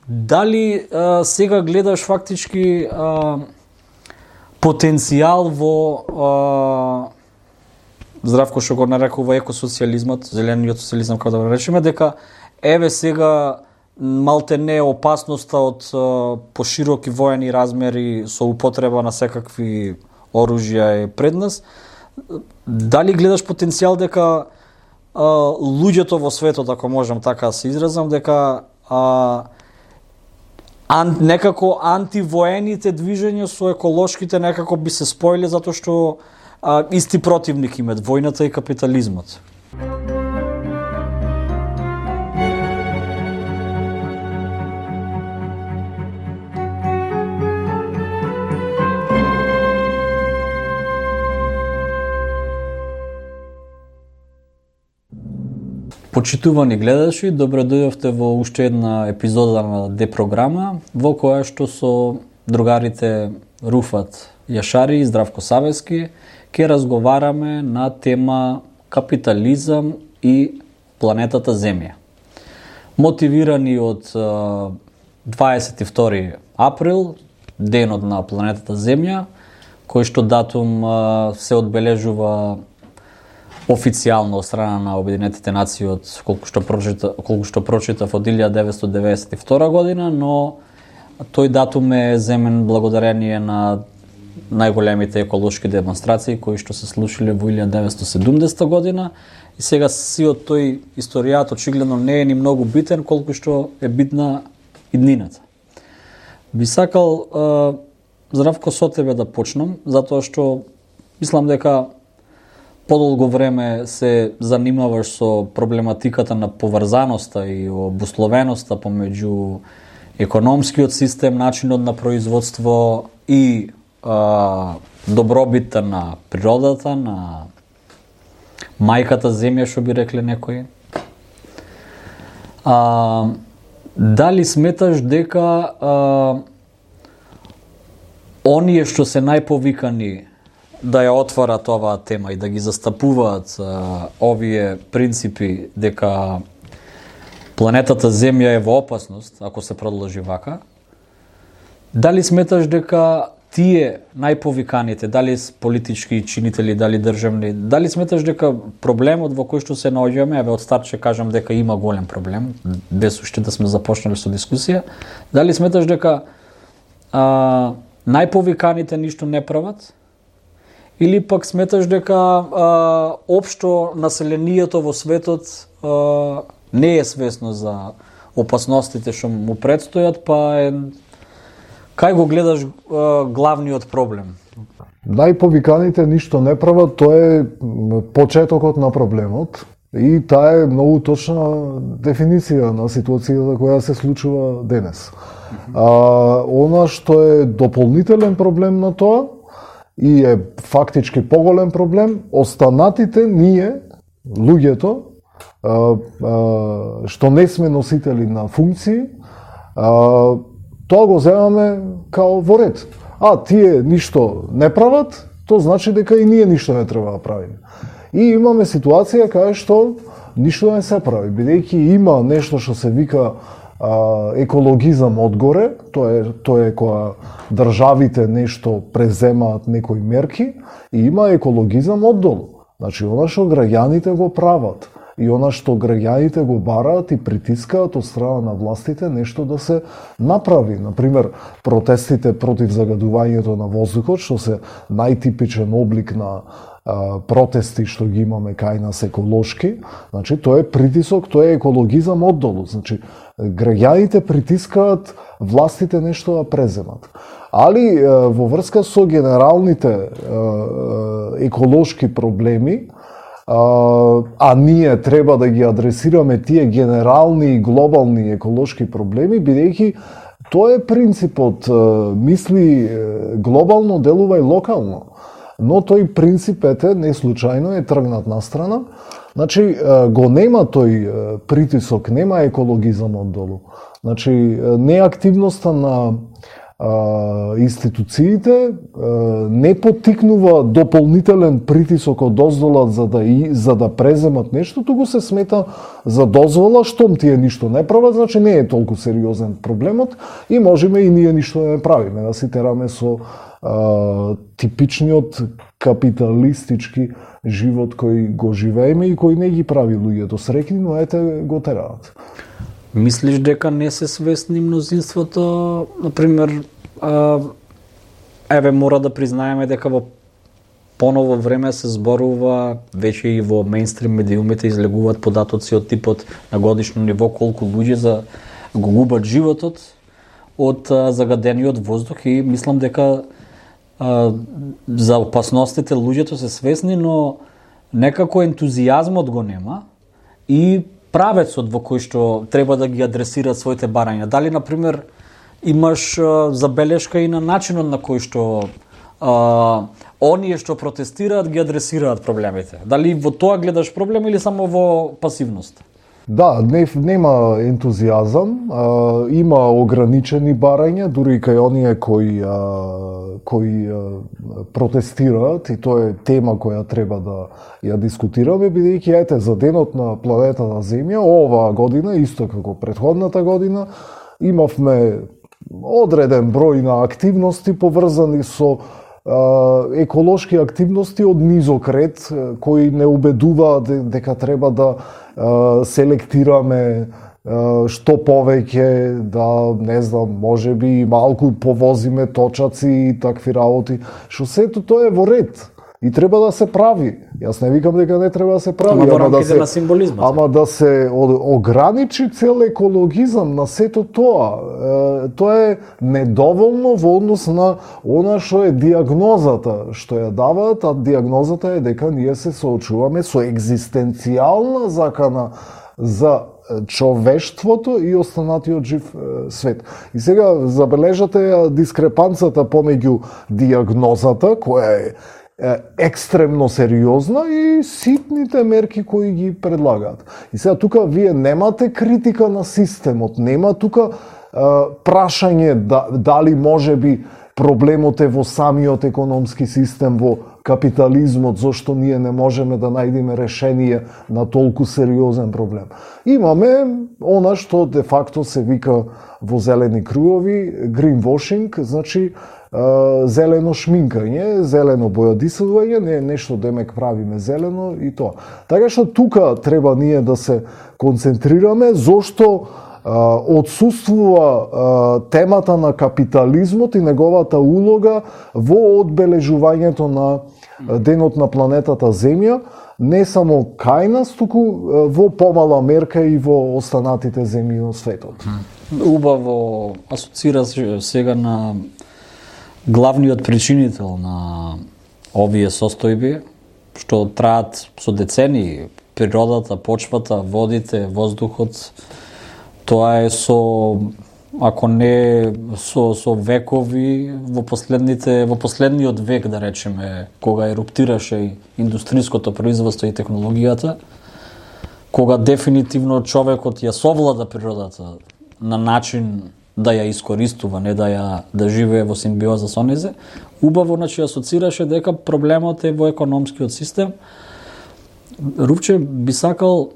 Дали сега гледаш фактички потенцијал во Здравко што го нарекува екосоцијализмот, зелениот социјализам, како да го речеме, дека еве сега малте не опасноста од пошироки воени размери со употреба на секакви оружја е пред нас. Дали гледаш потенцијал дека луѓето во светот, ако можам така да се изразам, дека некако антивоените движења со еколошките некако би се споиле затоа што исти противник имат војната и капитализмот. Почитувани гледачи, добре дојдовте во уште една епизода на Депрограма, во која што со другарите Руфат Јашари и Здравко Савески ќе разговараме на тема капитализам и планетата Земја. Мотивирани од 22 април, денот на планетата Земја, кој што датум се одбележува официјално од страна на Обединетите нации од колку што прочитав од 1992 година, но тој датум е земен благодарение на најголемите еколошки демонстрации кои што се случиле во 1970 година и сега сиот тој историјат очигледно не е ни многу битен колку што е битна иднината. Би сакал Здравко со тебе да почнам, затоа што мислам дека подолго време се занимаваш со проблематиката на поврзаноста и обусловеноста помеѓу економскиот систем, начинот на производство и добробитта на природата, на мајката земја, што би рекле некои. Дали сметаш дека оние што се најповикани да ја отварат оваа тема и да ги застапуваат овие принципи дека планетата Земја е во опасност, ако се продолжи вака, дали сметаш дека тие најповиканите, дали политички чинители, дали државни, дали сметаш дека проблемот во кој што се наоѓаме, еве од старт ќе кажам дека има голем проблем, без уште да сме започнали со дискусија, дали сметаш дека најповиканите ништо не прават, или пак сметаш дека општо населението во светот не е свесно за опасностите што му предстојат, па кај го гледаш главниот проблем? Најповиканите ништо не прават, тоа е почетокот на проблемот и таа е многу точна дефиниција на ситуацијата која се случува денес. Она што е дополнителен проблем на тоа и е фактички поголем проблем, останатите ние, луѓето, што не сме носители на функции, тоа го земаме као во ред. Тие ништо не прават, тоа значи дека и ние ништо не треба да правиме. И имаме ситуација кај што ништо не се прави, бидејќи има нешто што се вика екологизам одгоре, тоа е кога државите нешто преземаат некои мерки, и има екологизам оддолу. Значи, она што граѓаните го прават и она што граѓаните го бараат и притискаат од страна на властите нешто да се направи. Например, протестите против загадувањето на воздухот, што се најтипичен облик на протести што ги имаме кај нас еколошки, значи тоа е притисок, тоа е екологизам оддолу. Значи, граѓаните притискаат властите нешто да преземат. Али во врска со генералните еколошки проблеми, ние треба да ги адресираме тие генерални и глобални еколошки проблеми, бидејќи тоа е принципот мисли глобално, делува и локално. Но тој принцип не случајно е тргнат настрана. Значи, го нема тој притисок, нема екологизам оддолу. Значи, неактивноста на институциите, не поттикнува дополнителен притисок од дозвола за да преземат нешто, туку се смета за дозвола, штом тие ништо не прават, значи не е толку сериозен проблемот и можеме и ние ништо да не правиме, да си тераме со типичниот капиталистички живот кој го живееме и кој не ги прави луѓето среќни, но ете го тераат. Мислиш дека не се свесни мнозинството, например, еве мора да признаеме дека во поново време се зборува, веќе и во мејнстрим медиумите излегуваат податоци од типот на годишно ниво колку луѓе го губат животот од загадениот воздух и мислам дека за опасностите луѓето се свесни, но некако ентузијазмот го нема и правецот во кој што треба да ги адресираат своите барања. Дали, например, имаш забелешка и на начинот на кој што оние што протестираат ги адресираат проблемите? Дали во тоа гледаш проблем или само во пасивност? Да, нема ентузијазам, има ограничени барања, дури и кај оние кои протестираат, и тоа е тема која треба да ја дискутираме, бидејќи ете за денот на планетата Земја оваа година, исто како претходната година, имавме одреден број на активности поврзани со еколошки активности од низок ред, кои не убедуваат дека треба да селектираме што повеќе, да, не знам, можеби малку повозиме точаци и такви работи, што сето тоа е во ред и треба да се прави. Јас не викам дека не треба да се прави, ама да се ограничи цел екологизам на сето тоа. Тоа е недоволно во однос на она што е диагнозата што ја даваат, а диагнозата е дека ние се соочуваме со екзистенцијална закана за човештвото и останатиот жив свет. И сега забележате дискрепанцата помеѓу диагнозата, која е екстремно сериозна, и ситните мерки кои ги предлагаат. И сега тука вие немате критика на системот, нема тука прашање дали можеби проблемот е во самиот економски систем, во капитализмот, зошто ние не можеме да најдеме решение на толку сериозен проблем. Имаме она што де факто се вика во зелени кругови greenwashing, значи зелено шминкање, зелено бојадисување, не нешто демек правиме зелено и тоа. Така што тука треба ние да се концентрираме, зошто отсуствува темата на капитализмот и неговата улога во одбележувањето на денот на планетата Земја, не само кај нас, туку во помала мерка и во останатите земји на светот. Убаво асоцираш сега на главниот причинител на овие состојби, што траат со децении, природата, почвата, водите, воздухот. Тоа е ако не со векови, во последниот век, да речеме, кога еруптираше индустриското производство и технологијата, кога дефинитивно човекот ја совлада природата на начин да ја искористува, не да живее во симбиоза со незе, убаво асоцираше дека проблемот е во економскиот систем. Рупче би сакал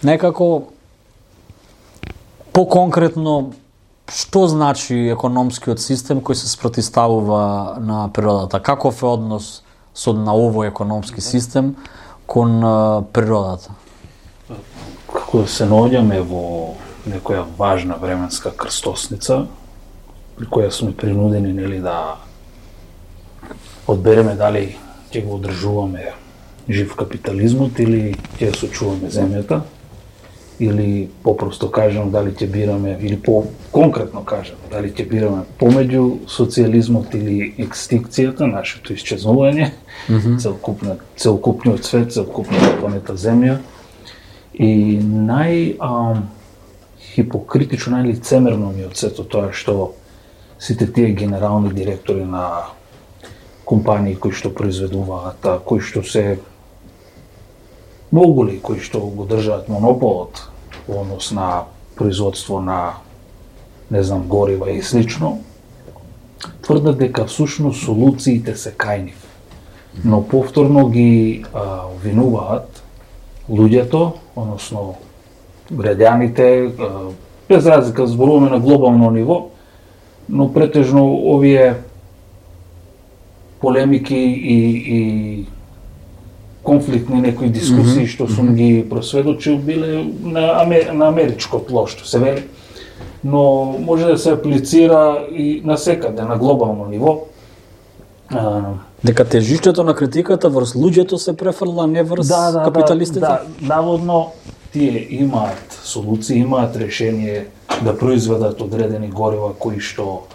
некако поконкретно што значи економскиот систем кој се спротивставува на природата? Каков е однос на овој економски систем кон природата? Како се наоѓаме во некоја важна временска крстосница, при која сме принудени да одбереме дали ќе го одржуваме жив капитализмот или ќе сочуваме земјата, или попросто кажам дали ќе бираме, или по-конкретно кажам, дали ќе бираме помеѓу социјализмот или екстинкцијата, нашето исчезнување, целокупниот свет, целокупната планета Земја. И хипокритично, најлицемерно ми од сето тоа што сите тие генерални директори на компании кои што произведуваат, кои што се моголи, кои што го држаат монополот во однос на производство на, не знам, горива и слично, тврдат дека всушност солуциите се кај нив. Но повторно ги обвинуваат луѓето, односно граѓаните, без разлика зборуваме на глобално ниво, но претежно овие полемики и конфликтни некои дискусии што сум ги просведочил биле на америчко тло, што се вели, но може да се аплицира и насекаде, на глобално ниво. Дека тежиштето на критиката врз луѓето се префрла, не врз капиталистите? Да, наводно тие имаат солуции, имаат решение да произведат одредени горива кои што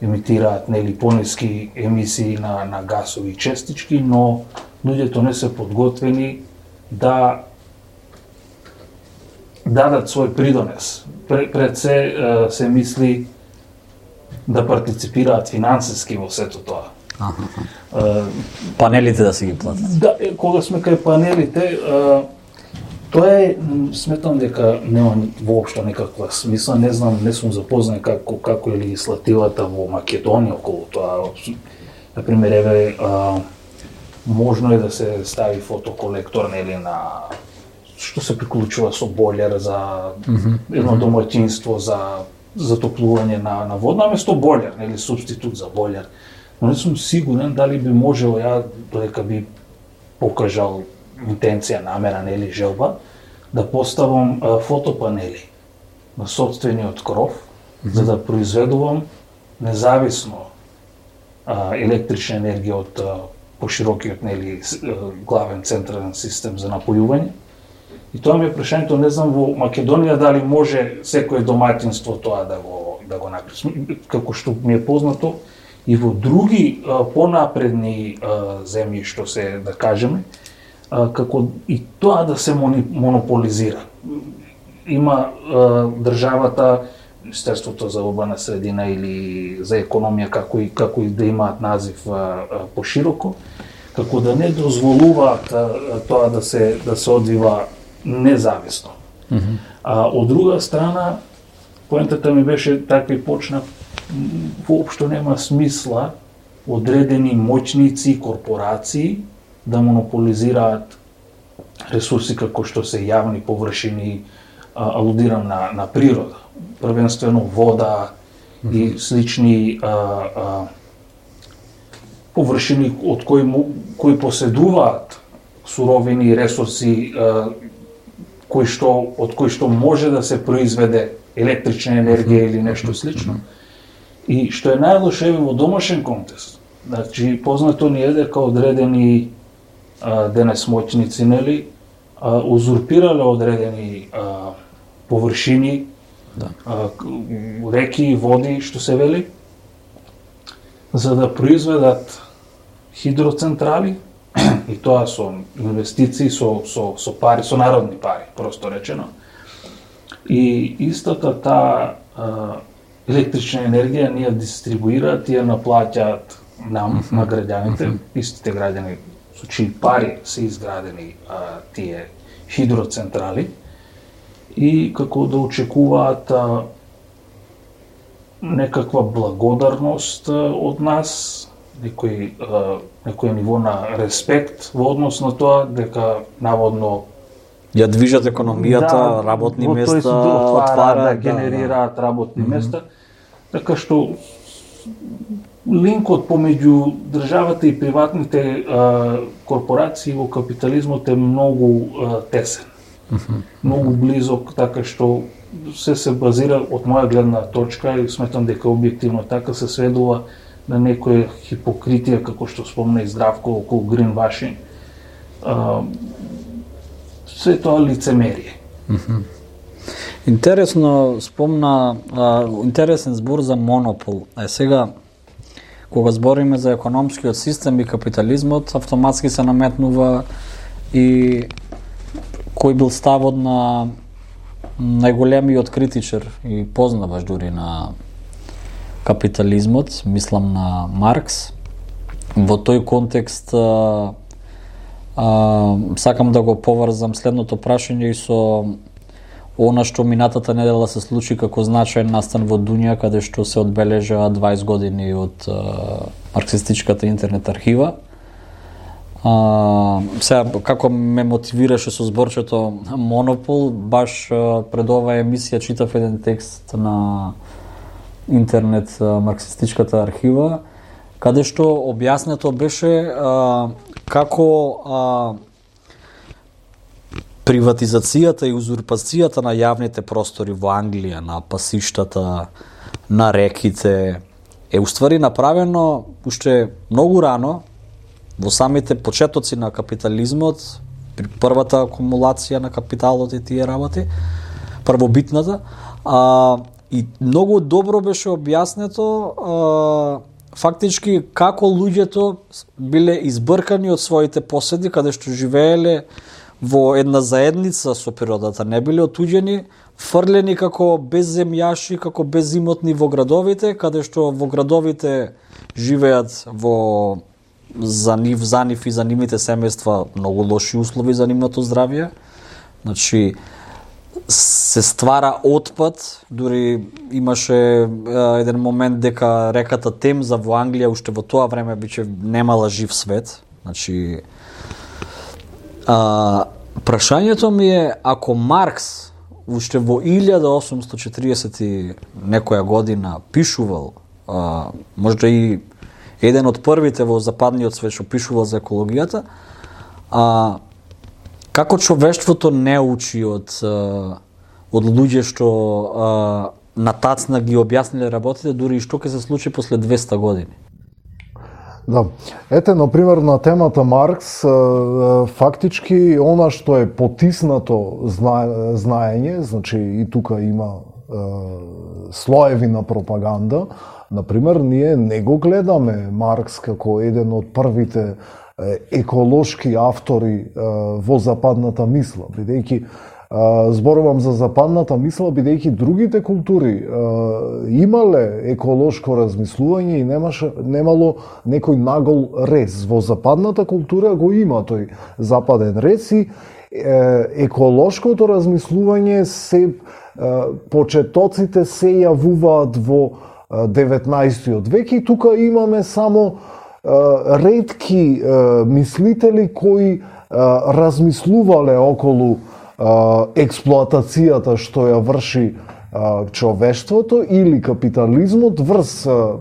емитираат нели пониски емисии на гасови честички, но луѓето не се подготвени да дадат свој придонес. Пред се мисли да партиципираат финансиски во сето тоа. Панелите да се ги платат. Да, кога сме кај панелите, тоа е, сметам дека нема воопшто некаква смисла, не знам, не сум запознат како е легислативата во Македонија околу тоа. Например, еве, можно е да се стави фотоколектор нели на што се приклучува со бойлер за едно домаќинство за затоплување на вода, наместо бойлер, нели супститут за бойлер. Но не сум сигурен дали би можел ја, додека би покажал интенција, намера, нели желба, да поставам фотопанели на сопствениот кров, за да произведувам независно електрична енергија од поширокиот нели главен централен систем за напојување. И тоа ми е прашањето, не знам во Македонија дали може секое домаќинство тоа да го направи. Како што ми е познато, и во други понапредни земји што се, да кажеме, како и тоа да се монополизира. Има државата, Министерството за урбана средина или за економија, како и да имаат назив пошироко, како да не дозволуваат тоа да се одвива независно. Од друга страна, поентата ми беше така и почна, воопшто нема смисла одредени моćници и корпорации да монополизираат ресурси како што се јавни површини, алудирам на природа, првенствено вода и слични површини од кои поседуваат суровини и ресурси од кои што може да се произведе електрична енергија или нешто слично. И што е најлошо во домашен контекст. Значи, познато ни е дека одредени денес моćници, нели, узурпирале одредени површини, реки и води, што се вели, за да произведат хидроцентрали, и тоа со инвестиции, со пари, со народни пари, просто речено. И истата таа електрична енергија ние дистрибуираат и ја наплаќаат нам, на граѓаните, истите граѓани со чии пари се изградени тие хидроцентрали, и како да очекуваат некаква благодарност од нас, некој ниво на респект во однос на тоа дека наводно ја движат економијата, работни места, отварат, генерираат работни места, така што линкот помеѓу државата и приватните корпорации во капитализмот е многу тесен, многу близок, така што се базира од моја гледна точка и сметам дека објективно така се сведува на некоја хипокритија, како што спомна и Здравко околу greenwashing. Се тоа лицемерие. Интересно спомна, интересен збор за монопол. Сега, кога збориме за економскиот систем и капитализмот, автоматски се наметнува и кој бил ставот на најголемиот критичар и познаваш дури на капитализмот, мислам на Маркс. Во тој контекст сакам да го поврзам следното прашање и со она што минатата недела се случи како значаен настан во Дунја, каде што се одбележа 20 години од марксистичката интернет архива. Сега, како ме мотивираше со зборчето Монопол, баш пред оваа емисија читав еден текст на интернет марксистичката архива, каде што објаснето беше како приватизацијата и узурпацијата на јавните простори во Англија, на пасиштата, на реките, е уствари направено уште многу рано, во самите почетоци на капитализмот, при првата акумулација на капиталот и тие работи, првобитната, и многу добро беше објаснето фактички како луѓето биле избркани од своите поседи, каде што живееле во една заедница со природата, не биле отуѓени, фрлени како безземјаши, како безимотни во градовите, каде што во градовите живеат во за нив и за нивните семејства многу лоши услови за нивното здравје. Значи, се ствара отпад, дури имаше еден момент дека реката Темза во Англија уште во тоа време биче немала жив свет. Значи, прашањето ми е, ако Маркс уште во 1840 и некоја година пишувал, можда и еден од првите во западниот свет што пишувал за екологијата, како човештвото не учи од луѓе што натацна ги објасниле работите, дури и што ќе се случи после 200 години? Да. Ете, например, на темата Маркс, фактички, она што е потиснато знаење, значи и тука има слоеви на пропаганда. Например, ние не го гледаме Маркс како еден од првите еколошки автори во западната мисла, бидејќи зборувам за западната мисла, бидејќи другите култури имале еколошко размислување и немало некој нагол рез. Во западната култура го има тој западен рез и еколошкото размислување се почетоците се јавуваат во 19 век и тука имаме само ретки мислители кои размислувале околу експлоатацијата што ја врши човештвото или капитализмот врз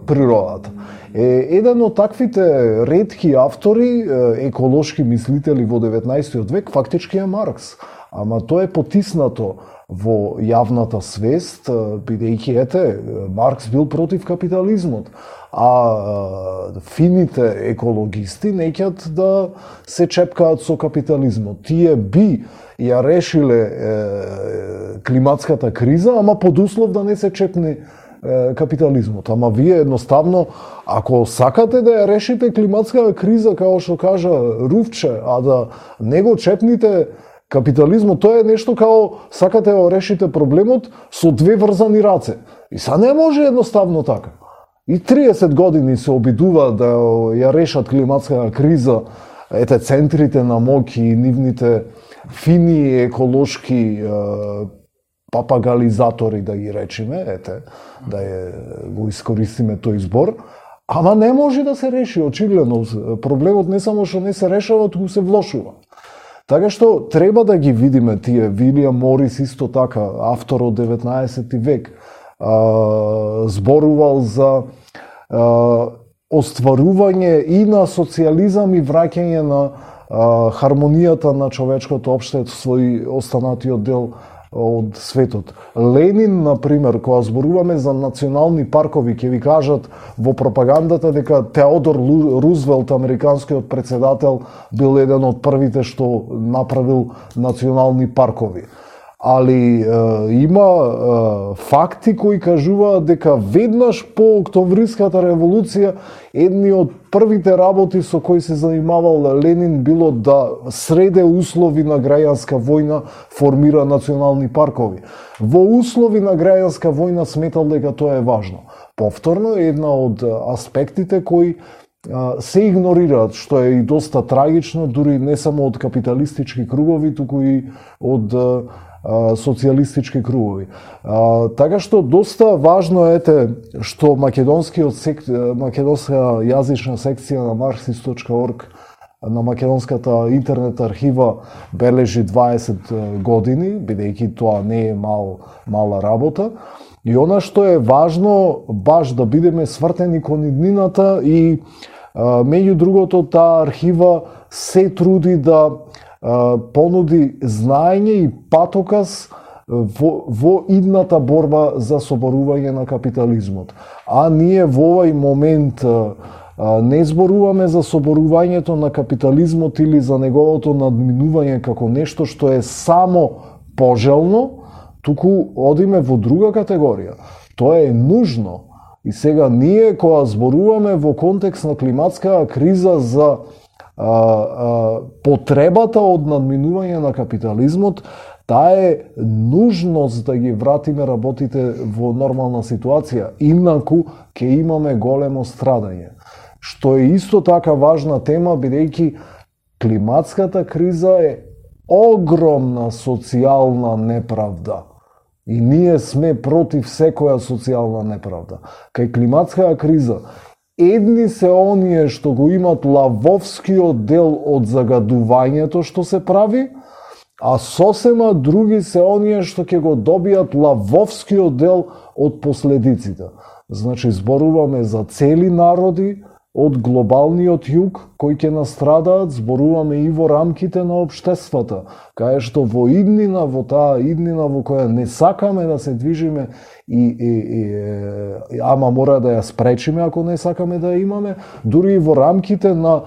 природата. Еден од таквите ретки автори, еколошки мислители во 19 век, фактички е Маркс. Ама тоа е потиснато во јавната свест, бидејќи ете, Маркс бил против капитализмот, а фините екологисти неќат да се чепкаат со капитализмот. Тие би ја решиле климатската криза, ама под услов да не се чепне капитализмот. Ама вие едноставно, ако сакате да ја решите климатската криза, како што кажа Руфче, а да не го чепните капитализмот, тоа е нешто као сакате да решите проблемот со две врзани раце. И са не може едноставно така. И 30 години се обидува да ја решат климатската криза, ете центрите на моќ и нивните фини еколошки папагализатори, да ги речеме, ете, да го искористиме тој збор, ама не може да се реши, очигледно. Проблемот не само што не се решава, туку се влошува. Така што треба да ги видиме тие. Вилијам Морис исто така, автор од 19 век, зборувал за остварување и на социјализам и враќање на хармонијата на човечкото општество и останатиот дел од светот. Ленин, например, кога зборуваме за национални паркови, ќе ви кажат во пропагандата дека Теодор Рузвелт, американскиот председател, бил еден од првите што направил национални паркови. Али има факти кои кажуваат дека веднаш по Октомвриската револуција едни од првите работи со кои се занимавал Ленин било да среде услови на граѓанска војна, формира национални паркови. Во услови на граѓанска војна сметал дека тоа е важно. Повторно, една од аспектите кои се игнорираат, што е и доста трагично, дури не само од капиталистички кругови, туку и од социјалистички кругови. Така што доста важно е што македонска јазична секција на marxist.org на македонската интернет архива бележи 20 години, бидејќи тоа не е мала работа. И она што е важно, баш да бидеме свртени кон иднината и меѓу другото таа архива се труди да понуди знаење и патоказ во идната борба за соборување на капитализмот. А ние во овој момент не зборуваме за соборувањето на капитализмот или за неговото надминување како нешто што е само пожелно, туку одиме во друга категорија. Тоа е нужно. И сега ние кога зборуваме во контекст на климатска криза за потребата од надминување на капитализмот, таа е нужност да ги вратиме работите во нормална ситуација, инаку ќе имаме големо страдање. Што е исто така важна тема, бидејќи климатската криза е огромна социјална неправда. И ние сме против секоја социјална неправда. Кај климатската криза, едни се оние што го имат лавовскиот дел од загадувањето што се прави, а сосема други се оние што ќе го добијат лавовскиот дел од последиците. Значи, зборуваме за цели народи од глобалниот југ кои ќе настрадаат, зборуваме и во рамките на општествата, кај што во иднина, во таа иднина во која не сакаме да се движиме ама мора да ја спречиме ако не сакаме да ја имаме, дури и во рамките на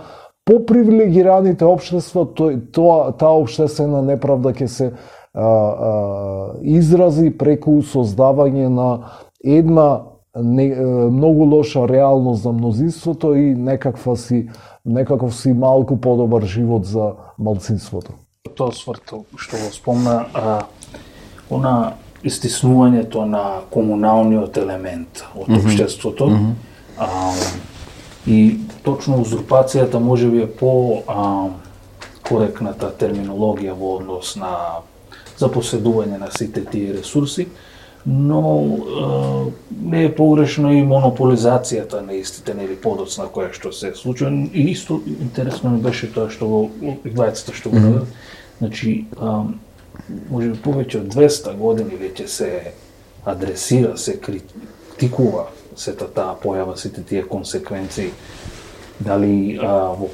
попривилегираните општества, таа општествена неправда ќе се изрази преку создавање на една многу лоша реалност за мнозинството и некаков си малку подобар живот за малцинството. Тоа сврто што го спомна, она истиснувањето на комуналниот елемент од општеството, и точно узурпацијата можеби е по коректната терминологија во однос на запоседување на сите тие ресурси, но не е погрешно и монополизацијата на истите, нели подоцна која што се случува. И исто интересно ми беше тоа што го двајцата што го наведат. Значи, може би повеќе од 200 години веќе се адресира, се критикува сета таа појава, сите тие консеквенции, дали во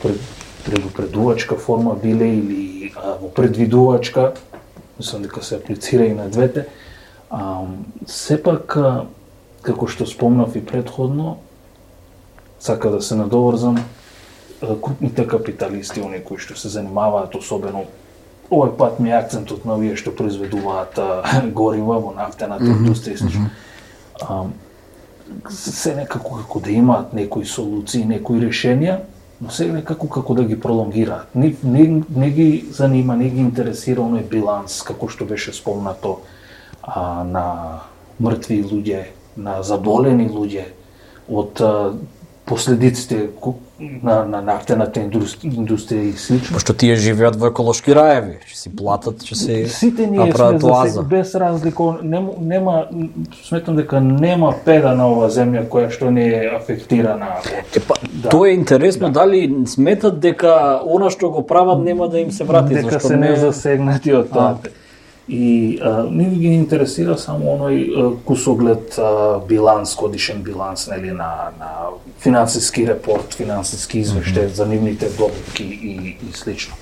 предупредувачка форма биле или во предвидувачка, мислам дека се аплицира и на двете. Сепак, како што спомнав и предходно, сака да се надоврзам, крупните капиталисти, оние кои што се занимаваат, особено овој пат ми е акцентот на овие што произведуваат горива во нафтената индустрија, се некако како да имаат некои солуции, некои решенија, но се некако како да ги пролонгираат. Не ги занима, не ги интересира оној биланс, како што беше спомнато, на мртви луѓе, на заболени луѓе од последиците на нафтената индустрија и слично. Пошто тие живеат во еколошки раеви, ќе си платат, ќе си сите ние сме за без разлика, нема, сметам дека нема педа на ова земја која што не е афектирана од... Тоа е интересно, дали сметат дека она што го прават нема да им се врати, дека зашто се не засегнати од тоа. И не ги интересира само оној кусоглед биланс, годишен биланс, нели, на финансиски репорт, финансиски извештај за нивните добитки и слично.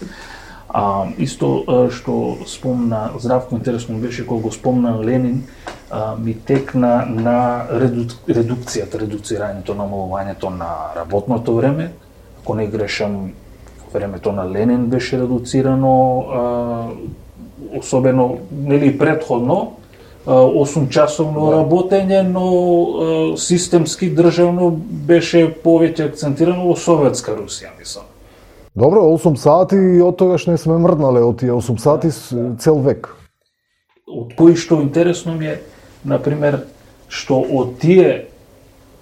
Исто што спомна Здравко, интересно беше кога го спомна Ленин, ми текна на редуцирањето, намалувањето на работното време. Ако не грешам, времето на Ленин беше редуцирано, особено, нели, предходно, 8-часовно работење, но системски државно беше повеќе акцентирано во Советска Русија, мислам. Добро, 8 сати и од тогаш не сме мрднале од тие 8 сати цел век. Од кои што интересно ми е, например, што од тие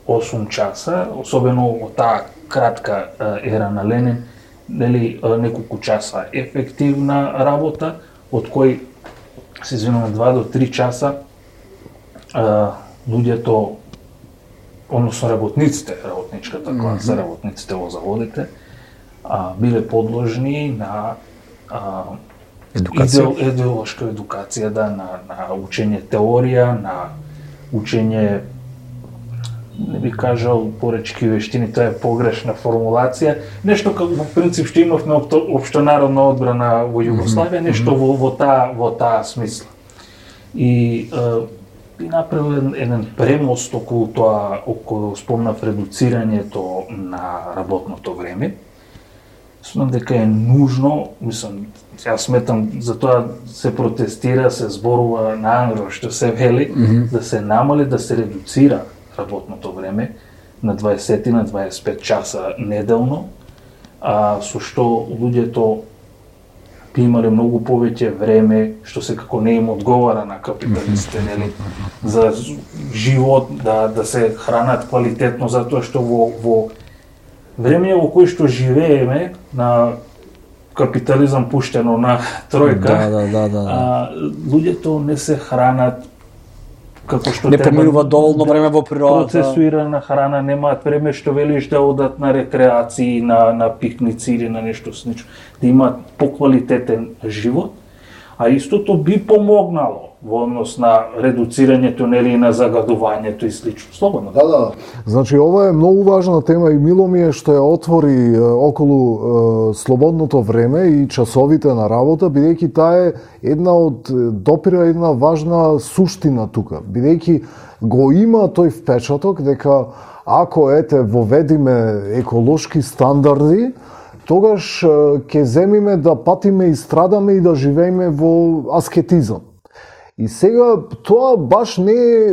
8 часа, особено од таа кратка ера на Ленин, нели, неколку часа ефективна работа, од кои се извинувам, 2 до 3 часа луѓето, односно работничката класа, работниците во заводите, биле подложни на идеолошка едукација, на учење теорија, на учење, не би кажал поречки вештини, тоа е погрешна формулација, нешто како во принцип што имавме општонародна одбрана во Југославија, нешто во таа смисла. И би направил еден премост околу тоа, околу спомнав редуцирањето на работното време. Смеам дека е нужно, мислам, јас сметам, за тоа се протестира, се зборува на ангро, што се вели, да се намали, да се редуцира работното време на 20 на 25 часа неделно, со што луѓето би имале многу повеќе време, што секако не им одговара на капиталистите, нели, за живот, да се хранат квалитетно, затоа што во време во кој што живееме, на капитализам пуштено на тројка, луѓето не се хранат како што не преминуваат доволно време во природата. Процесуирана храна, немаат време што велиш да одат на рекреации, на пикници или на нешто слично, да имаат поквалитетен живот, а истото би помогнало во однос на редуцирањето, нели, на загадувањето и слично. Слободно. Да. Значи, ова е многу важна тема и мило ми е што ја отвори околу слободното време и часовите на работа, бидејќи таа е допира една важна суштина тука, бидејќи го има тој впечаток дека ако воведиме еколошки стандарди, тогаш ќе земиме да патиме и страдаме и да живееме во аскетизам. И сега тоа баш не е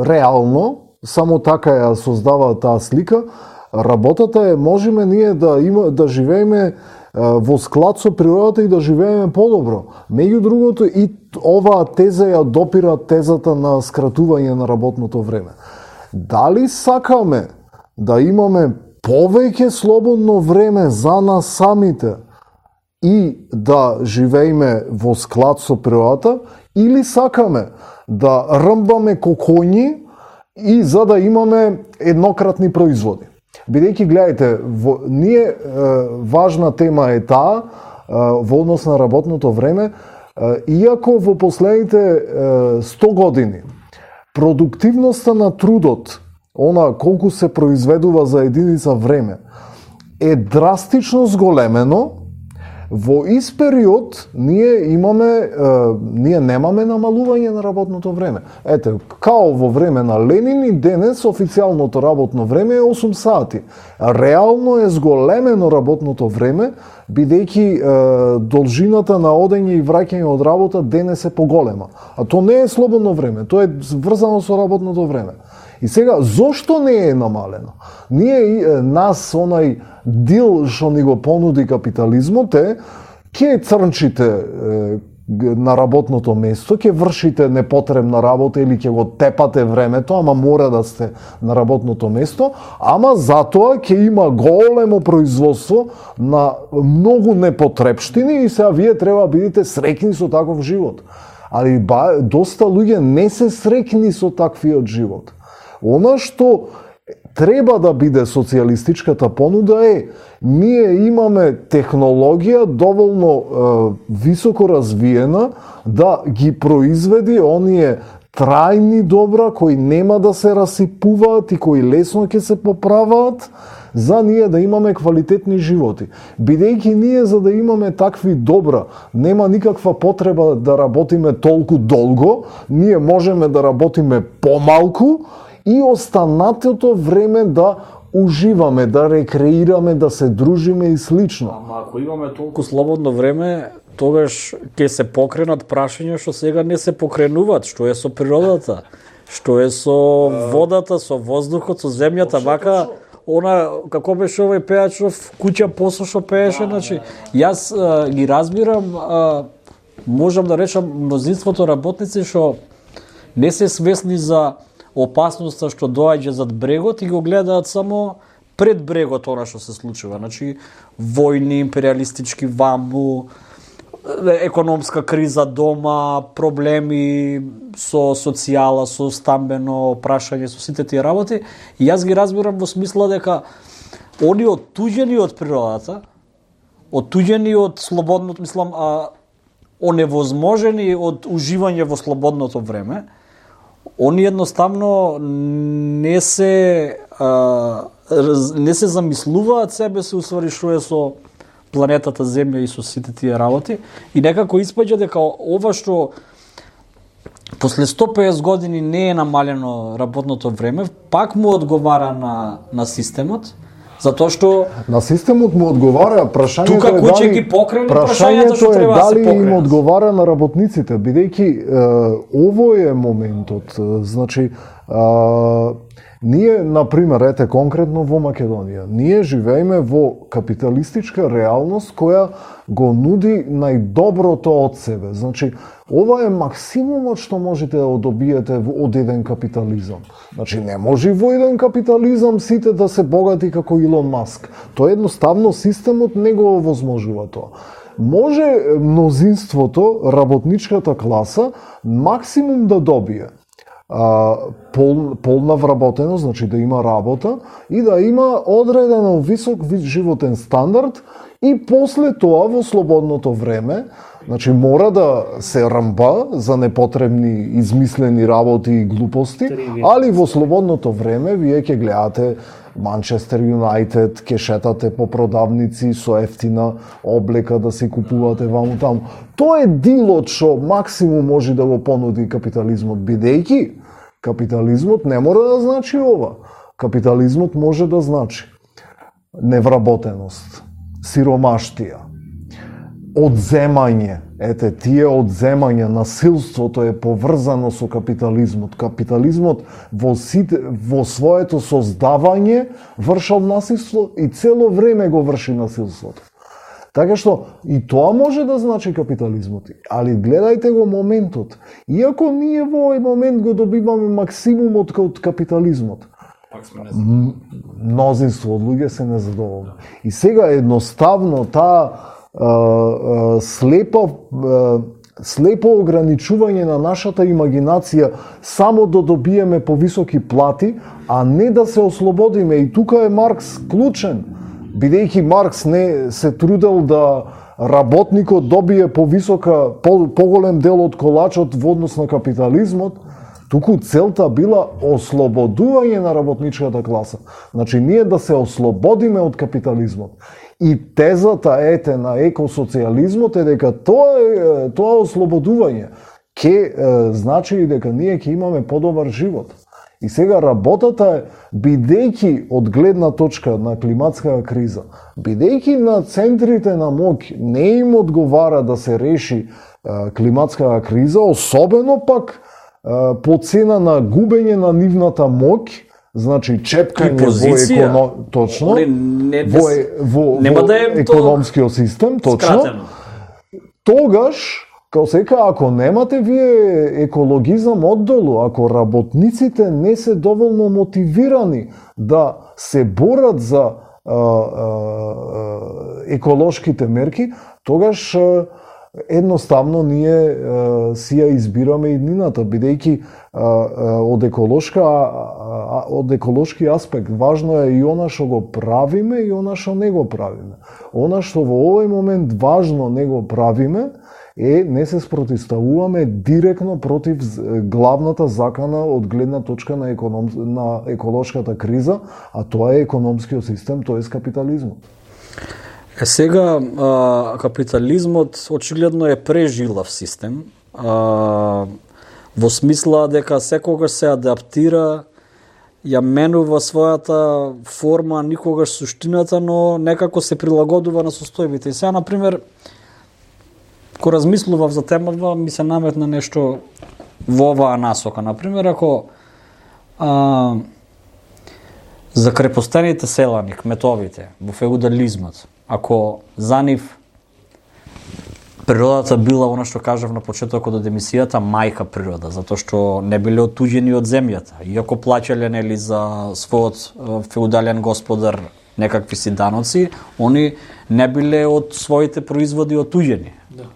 реално, само така ја создава таа слика. Работата е можеме ние да живееме во склад со природата и да живееме подобро. Меѓу другото и оваа теза ја допира тезата на скратување на работното време. Дали сакаме да имаме повеќе слободно време за нас самите и да живееме во склад со природата, или сакаме да рмбаме кокоњи и за да имаме еднократни производи. Бидејќи, гледајте, ние важна тема е таа во однос на работното време, иако во последните 100 години продуктивноста на трудот, она колку се произведува за единица време, е драстично зголемено. Во ист период ние немаме намалување на работното време. Ете, као во време на Ленин и денес официјалното работно време е 8 сати. Реално е зголемено работното време, бидејќи должината на одење и враќање од работа денес е поголема. А то не е слободно време, то е врзано со работното време. И сега, зошто не е намалено? Нас, онај дил што ни го понуди капитализмот е, ќе црнчите на работното место, ќе вршите непотребна работа или ќе го тепате времето, ама мора да сте на работното место, ама затоа ќе има големо производство на многу непотребштини и сега вие треба бидете среќни со таков живот. Али доста луѓе не се среќни со таквиот живот. Она што треба да биде социјалистичката понуда е, ние имаме технологија доволно високо развиена да ги произведи оние трајни добра кои нема да се расипуваат и кои лесно ќе се поправаат, за ние да имаме квалитетни животи. Бидејќи ние за да имаме такви добра, нема никаква потреба да работиме толку долго, ние можеме да работиме помалку и останатото време да уживаме, да рекреираме, да се дружиме и слично. Ама ако имаме толку слободно време, тогаш ќе се покренат прашања што сега не се покренуваат, што е со природата, што е со водата, со воздухот, со земјата, вака она како беше овој пејачов куќа посо што пееше, значи јас ги разбирам, можам да речам мнозинството работници што не се свесни за опасноста што доаѓа зад брегот и го гледаат само пред брегот она што се случува. Значи, војни, империалистички ваму, економска криза дома, проблеми со социјала, со стамбено прашање, со сите тие работи, и јас ги разбирам во смисла дека они оттуѓени од природата, оттуѓени од слободното, мислам, оневозможени од уживање во слободното време, они едноставно не се замислуваат себе се усвари што е со планетата Земја и со сите тие работи, и некако испаѓа дека ова што после 150 години не е намалено работното време, пак му одговара на системот, затоа што на системот му одговара, прашањето тука кој ќе ги покрене прашањето што треба да се покрене. Дали им одговара на работниците, бидејќи ово е моментот, значи ние, например, ете конкретно во Македонија, ние живееме во капиталистичка реалност која го нуди најдоброто од себе. Значи, ова е максимумот што можете да добиете од еден капитализам. Значи, не може во еден капитализам сите да се богати како Илон Маск. Тоа едноставно системот не го овозможува тоа. Може мнозинството, работничката класа, максимум да добие полна вработеност, значи да има работа и да има одредено висок животен стандард, и после тоа во слободното време, значи мора да се рмба за непотребни измислени работи и глупости, али во слободното време вие ќе гледате Манчестер Юнајтед, ќе шетате по продавници со ефтина облека да си купувате ваму таму. Тоа е дилот што максимум може да го понуди капитализмот, бидејќи капитализмот не мора да значи ова. Капитализмот може да значи невработеност, сиромаштија, одземање. Ете, тие одземања, насилството е поврзано со капитализмот. Капитализмот во своето создавање вршал насилство и цело време го врши насилството. Така што и тоа може да значи капитализмот. Али гледајте го моментот. Иако ние во овој момент го добиваме максимумот од капитализмот, мнозинство од луѓе се незадоволни. И сега едноставно таа слепо ограничување на нашата имагинација само да добиеме повисоки плати, а не да се ослободиме. И тука е Маркс клучен, бидејќи Маркс не се трудел да работникот добие поголем дел од колачот во однос на капитализмот, туку целта била ослободување на работничката класа. Значи ние да се ослободиме од капитализмот. И тезата на екосоциализмот е дека тоа ослободување ќе значи и дека ние ќе имаме подобар живот. И сега работата е, бидејќи од гледна точка на климатска криза, бидејќи на центрите на моќ не им одговара да се реши климатска криза, особено пак по цена на губење на нивната моќ, значи чепкање во точно во економскиот систем, точно. Тогаш, као сека, ако немате вие екологизам оддолу, ако работниците не се доволно мотивирани да се борат за еколошките мерки, тогаш едноставно ние си ја избираме иднината, бидејќи од еколошки аспект важно е и она што го правиме и она што не го правиме. Она што во овој момент важно не го правиме не се спротивставуваме директно против главната закана од гледна точка на еколошката криза, а тоа е економскиот систем, тоа е капитализмот. Сега капитализмот очигледно е прежилав систем, во смисла дека секогаш се адаптира, ја менува својата форма, никогаш суштината, но некако се прилагодува на состојбите. И сега, например, кога размислував за темата, ми се наметна нешто во оваа насока. Например, ако за крепостените селани, кметовите, во феудализмот, ако за нив природата била она што кажав на почетокот од емисијата мајка природа, затоа што не биле оттуѓени од земјата, иако плаќале нели за својот феудален господар некакви си даноци, они не биле од своите производи оттуѓени. Да.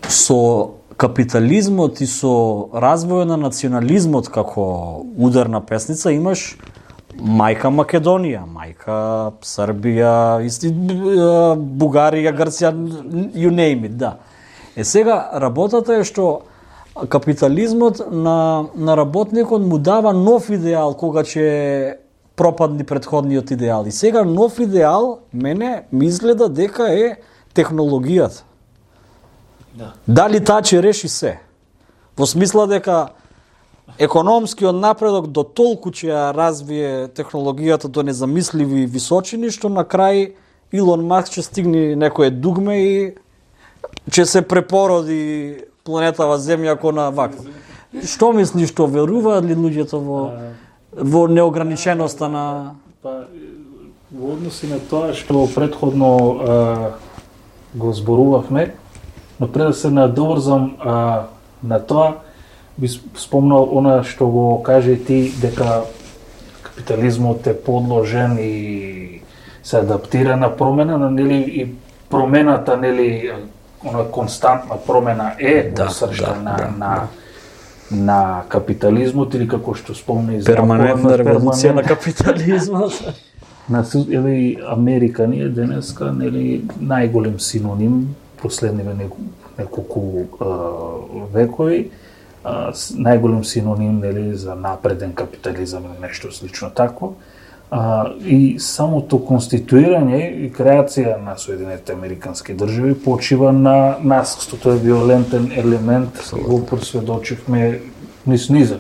Со капитализмот и со развојот на национализмот како ударна песница имаш мајка Македонија, мајка Србија, Бугарија, Грција, you name it, да. Сега работата е што капитализмот на работникот му дава нов идеал кога ќе пропадни претходниот идеал. И сега нов идеал мене ми изгледа дека е технологијата. Да. Дали таа ќе реши се? Во смисла дека економскиот напредок до толку ќе ја развие технологијата до незамисливи височини, што на крај Илон Маск ќе стигне некое дугме и ќе се препороди планетава Земја како на вак. Што мислиш, што веруваат ли луѓето во неограниченоста на... Во односи на тоа што претходно го зборувавме, но пред да се надоврзам на тоа, би спомнал она што го каже ти, дека капитализмот е подложен и се адаптира на промена, нели, и промената, нели, она константна промена е сршта на капитализмот, или како што спомна и перманентна револуција на капитализмот. Или Америка ни е денеска, нели, најголем синоним последниве неколку векови, најголем синоним, нели, за напреден капитализам или нешто слично такво. И самото конституирање и креација на Соединетите Американски држави почива на насилство. Тоа е виолентен елемент, го просведочивме низак.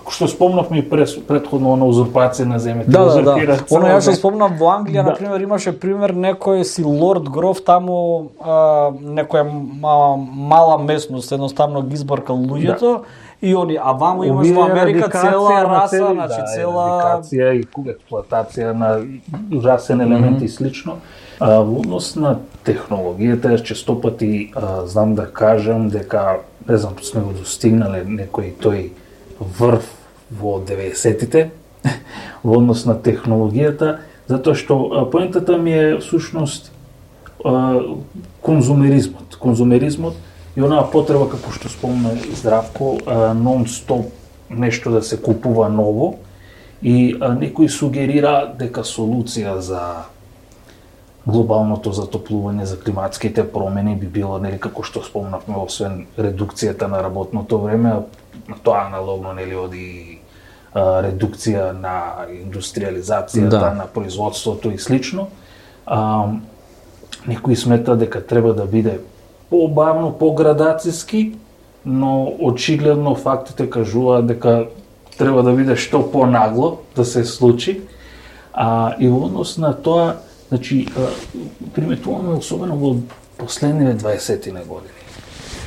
Што спомнавме и претходно на узурпација на земјата. Да. Оно ја што спомнав во Англија, на пример, имаше пример некој си лорд гроф таму, некоја мала местност, едноставно ги избаркал луѓето. И они, а ваму имаш во Америка цела раса, значи цела... Радикација и експлоатација на расен елемент и слично. Во однос на технологијата, често пати знам да кажам дека, не знам, сме го достигнале некој тој врв во 90-тите, во однос на технологијата, затоа што поентата ми е всушност конзумеризмот и онаа потреба, како што спомна Здравко, нон-стоп нешто да се купува ново, и некој сугерира дека солуција за глобалното затоплување, за климатските промени би било, нели, како што спомнавме, освен редукцијата на работното време, на тоа аналогно, нели, оди редукција на индустриализацијата, на производството и слично. Некои смета дека треба да биде побавно, поградациски, но очигледно фактите кажуваат дека треба да биде што понагло да се случи. И во однос на тоа, значи, приметуваме особено во последниве 20-тина години,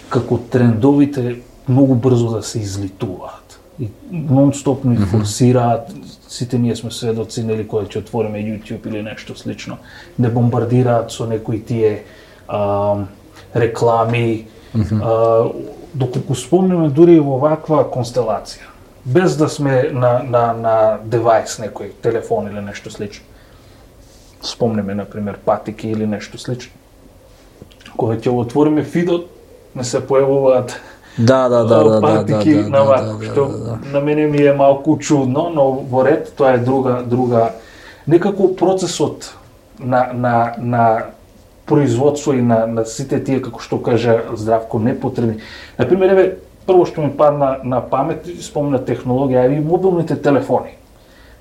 како трендовите многу брзо да се излитуваат и нон-стопно и форсираат. Сите ние сме сведоци, нели, кога ќе отвориме YouTube или нешто слично, не бомбардираат со некои тие реклами, доколку спомнеме дури во ваква констелација, без да сме на девајс, некој телефон или нешто слично. Спомнеме, например, патики или нешто слично. Кога ќе отвориме фидот, не се појавуваат патики на вако, што на мене ми е малку чудно, но во ред тоа е друга. Некако процесот на производство и на сите тие, како што кажа Здравко, непотребни. Например, еве, прво што ми падна на памет, спомна технологија, и мобилните телефони.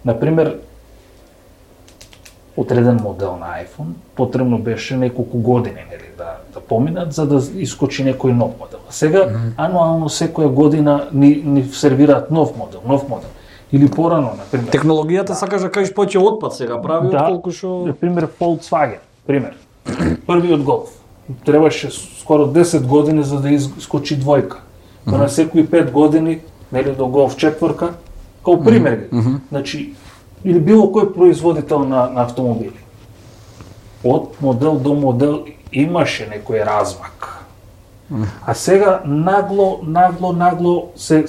Например, одреден модел на iPhone потребно беше неколку години, нели, да поминат за да искочи некој нов модел. Сега ануално секоја година ни сервираат нов модел. Или порано, например. Технологијата сакаш да кажеш повеќе отпад сега прави отколку што... Например, Volkswagen, пример. Првиот Golf требаше скоро 10 години за да искочи двојка. На секои 5 години, нели, до Golf 4, као пример. Значи, или било кој производител на автомобили. Од модел до модел имаше некој размак. А сега нагло се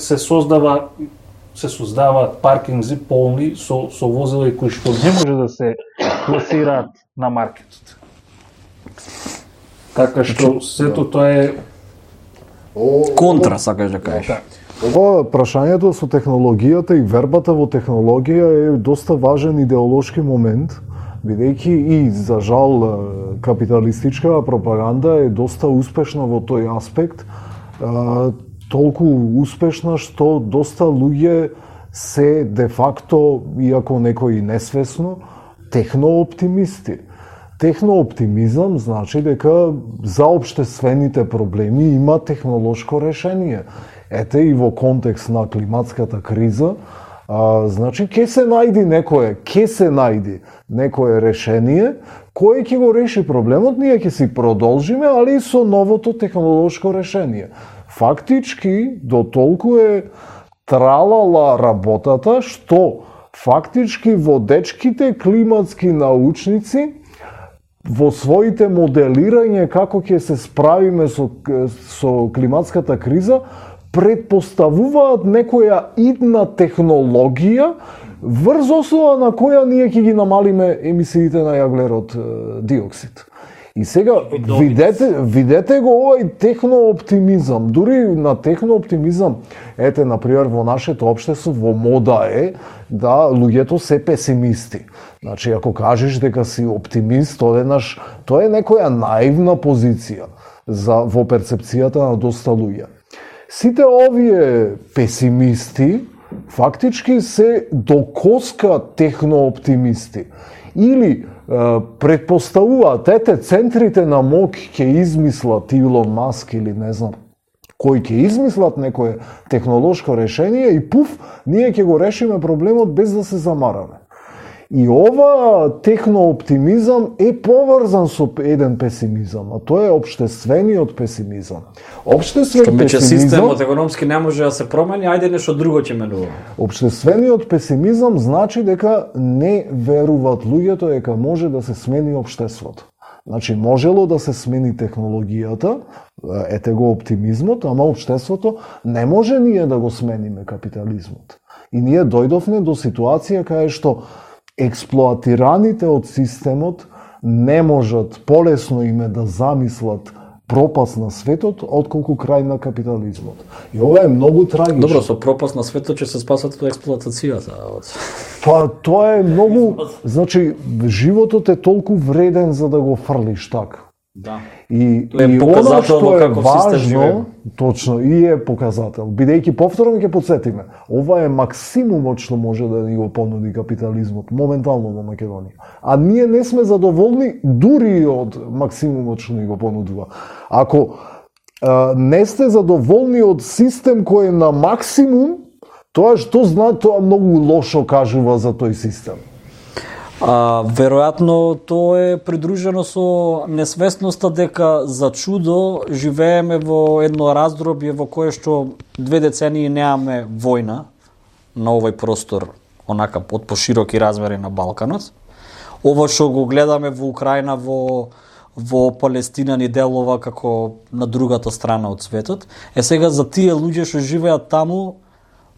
создаваат паркинзи полни со возила кои што не може да се пласираат на маркетот. Така што сето тоа е контра, сакаш да кажеш. Ова прашањето со технологијата и вербата во технологија е доста важен идеолошки момент, бидејќи и за жал капиталистичка пропаганда е доста успешна во тој аспект, толку успешна што доста луѓе се де факто, иако некои несвесно, технооптимисти. Технооптимизам значи дека за општествените проблеми има технолошко решение. Ете и во контекст на климатската криза, значи ќе се најди некое решение кој ќе го реши проблемот, ние ќе си продолжиме, али и со новото технолошко решение. Фактички, до толку е тралала работата, што фактички водечките климатски научници во своите моделирање како ќе се справиме со климатската криза, предпоставуваат некоја идна технологија врз основа на која ние ќе ги намалиме емисиите на јаглерод диоксид. И сега видете го овај технооптимизам, дури на технооптимизам, ете, например, во нашето општество, во мода е да луѓето се песимисти. Значи, ако кажеш дека си оптимист, тоа е некоја наивна позиција во перцепцијата на доста луѓе. Сите овие песимисти фактички се до коска технооптимисти. Или предпоставуваат, ете, центрите на моќ ќе измислат Илон Маск или не знам кој ќе измислат некое технолошко решение и пуф, ние ќе го решиме проблемот без да се замараме. И ова технооптимизам е поврзан со еден песимизам, а тоа е општествениот песимизам. Што мече системот економски не може да се промени, ајде нешто друго ќе менува. Општествениот песимизам значи дека не веруваат луѓето дека може да се смени општеството. Значи, можело да се смени технологијата, ете го оптимизмот, ама општеството не може ние да го смениме капитализмот. И ние дојдовме до ситуација кај што експлоатираните од системот не можат полесно име да замислат пропаст на светот, отколку крај на капитализмот. И ова е многу трагично. Добро, со пропаст на светот ќе се спасат од експлоатацијата. Па, тоа е многу... Значи, животот е толку вреден за да го фрлиш така. Да. И она што е важно, точно, и е показател. Бидејќи повторно ќе подсетиме, ова е максимумот што може да ни го понуди капитализмот моментално во Македонија. А ние не сме задоволни дури од максимумот што ни го понудува. Ако не сте задоволни од систем кој е на максимум, тоа што знае, тоа многу лошо кажува за тој систем. Веројатно тоа е придружено со несвесноста дека за чудо живееме во едно раздробје во кое што 2 децении немаме војна на овој простор, онака од пошироки размери на Балканот. Ова што го гледаме во Украина, во Палестина ни делува како на другата страна од светот. Сега за тие луѓе што живеат таму,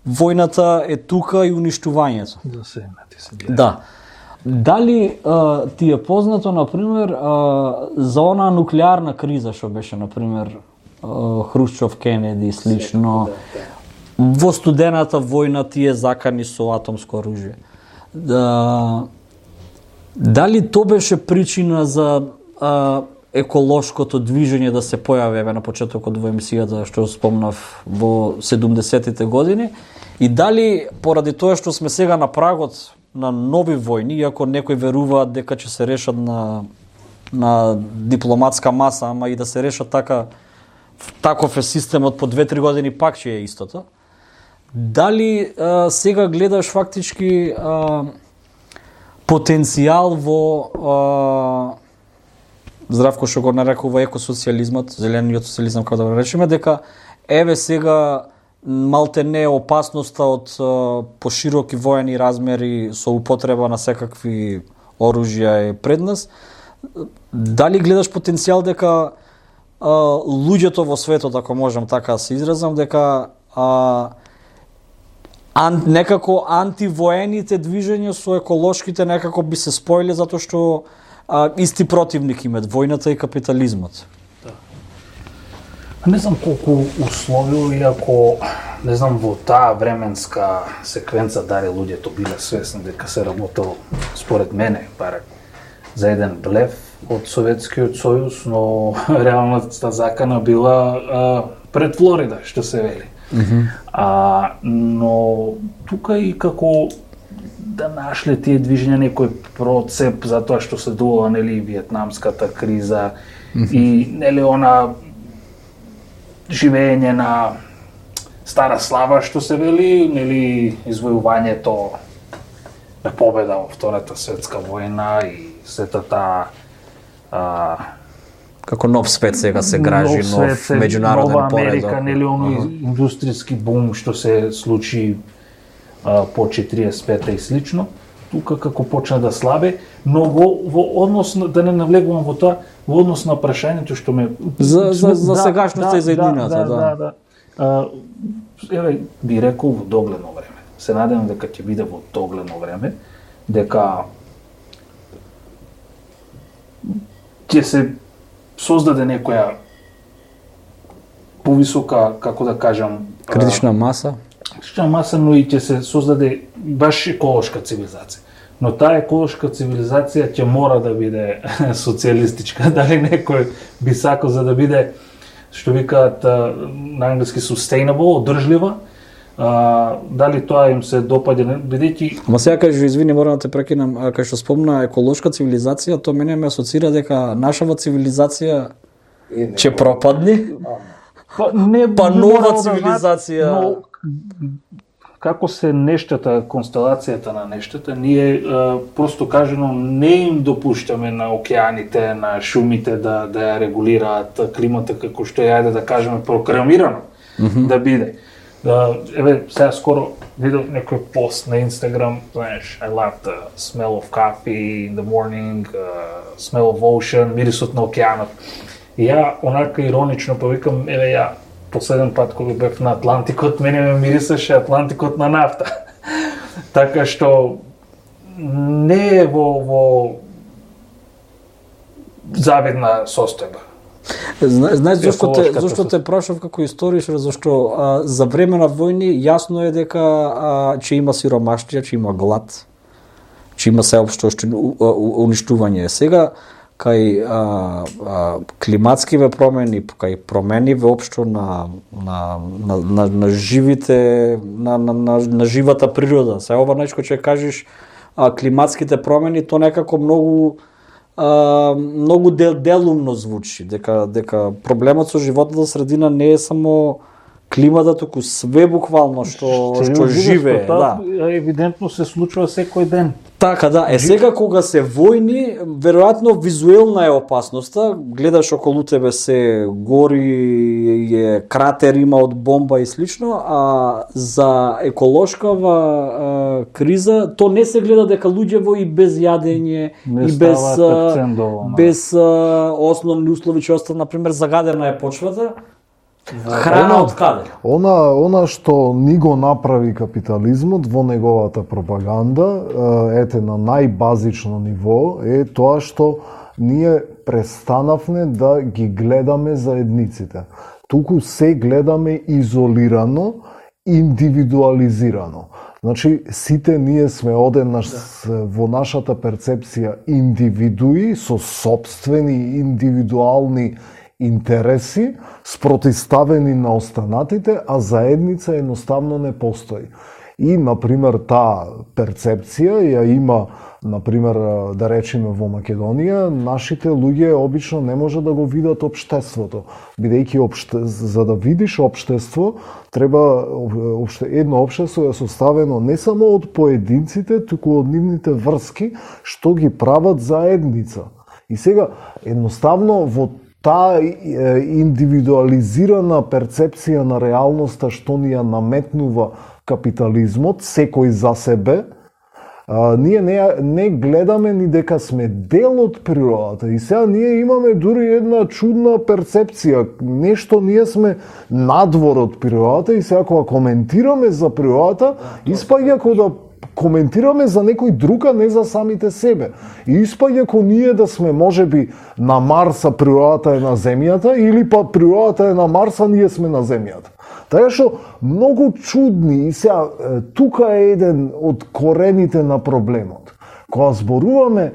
војната е тука и уништувањето. Да. Дали ти е познато, например, за она нуклеарна криза што беше, например, Хрушчов, Кенеди и слично, во студената војна тие закани со атомско оружје. Дали то беше причина за еколошкото движење да се појави на почетокот во емисијата што спомнав во 70-тите години, и дали поради тоа што сме сега на прагот на нови војни, иако некои веруваат дека ќе се решат на дипломатска маса, ама и да се решат таков е системот по 2-3 години пак ќе е истото. Дали сега гледаш фактички потенцијал во Здравко што го нарекува екосоцијализмот, зелениот социјализам, како да го речеме, дека еве сега малте не е опасноста од пошироки воени размери со употреба на секакви оружја е пред нас. Дали гледаш потенцијал дека луѓето во светот, ако можам така да се изразам, дека некако антивоените движења со еколошките некако би се споиле затоа што исти противник имат војната и капитализмот? Не знам колку условио, иако не знам во таа временска секвенца дали луѓето биле свесни дека се работело, според мене, барем, за еден блеф од Советскиот сојуз, но реалната закана била пред Флорида, што се вели. Но тука и како да нашле тие движења некој процеп затоа што се дувала нели виетнамската криза и нели она живење на стара слава што се вели, нели извојувањето на победа во Втората светска војна и сета таа како нов свет сега се гражи, нов меѓународен поредок. Нова Америка, нели оној индустријски бум што се случи по 45-та и слично, тука како почна да слабе, но во однос на, да не навлегувам во тоа, во однос на прашањето што ме за сегашноста и за иднината, еве би рекол во догледно време. Се надевам дека ќе биде во догледно време, дека ќе се создаде некоја повисока, како да кажам, критична маса, но и ќе се создаде баш еколошка цивилизација. Но таа еколошка цивилизација ќе мора да биде социјалистичка, дали некој би сакал за да биде, што викаат на англиски sustainable, одржлива, дали тоа им се допаѓа, бидејќи... Ама сега кажи, извини, морам да те прекинам, кај што спомна еколошка цивилизација, тоа мене ме асоцира дека нашава цивилизација ќе пропадне, па нова цивилизација... Но, како се нештата, констелацијата на нештата, ние просто кажано не им допуштаме на океаните, на шумите да ја регулираат климата како што е, ајде да кажеме, програмирано да биде. Еве, сега скоро видов некој пост на Инстаграм, знаеш, I love the smell of coffee in the morning, smell of ocean, мирисот на океанот. И ја онака иронично повикам, еве ја последен пат кога бев на Атлантикот, мене ме мирисаше Атлантикот на нафта. Така што не е во завидна состојба. Знаеш зашто те прашав како историчар, зашто за време на војни јасно е дека ќе има сиромаштија, ќе има глад, ќе има сеопшто уништување. Сега кај климатскиве промени, кај промени воопшто на живите, на живата природа. Се ова нешто ќе кажеш климатските промени, то некако многу делумно звучи, дека проблемот со животната средина не е само климата, туку све буквално што живее, да. Евидентно се случува секој ден. Така да, сега кога се војни, веројатно визуелна е опасноста, гледаш околу тебе се гори, кратер има од бомба и слично, а за еколошкава криза, то не се гледа дека луѓево и без јадење, и без основни услови че остана, например, загадена е почвата, храна од каде? Она што ни го направи капитализмот во неговата пропаганда, ете на најбазично ниво, е тоа што ние престанавме да ги гледаме заедниците. Туку се гледаме изолирано, индивидуализирано. Значи, сите ние сме одеднаш во нашата перцепција индивидуи со собствени индивидуални интереси, спротиставени на останатите, а заедница едноставно не постои. И, например, таа перцепција ја има, например, да речеме во Македонија, нашите луѓе обично не може да го видат општеството. Бидејќи за да видиш општество, треба едно општество е составено не само од поединците, туку од нивните врски, што ги прават заедница. И сега, едноставно, во таа индивидуализирана перцепција на реалноста што ни ја наметнува капитализмот, секој за себе, ние не гледаме ни дека сме дел од природата. И сега ние имаме дури една чудна перцепција, нешто ние сме надвор од природата и сега кога коментираме за природата, испаѓа коментираме за некој друг, а не за самите себе. И испаѓа ко ние да сме можеби на Марс, а природата е на Земјата, или па природата е на Марс, а ние сме на Земјата. Така што многу чудни, и сега тука е еден од корените на проблемот. Кога зборуваме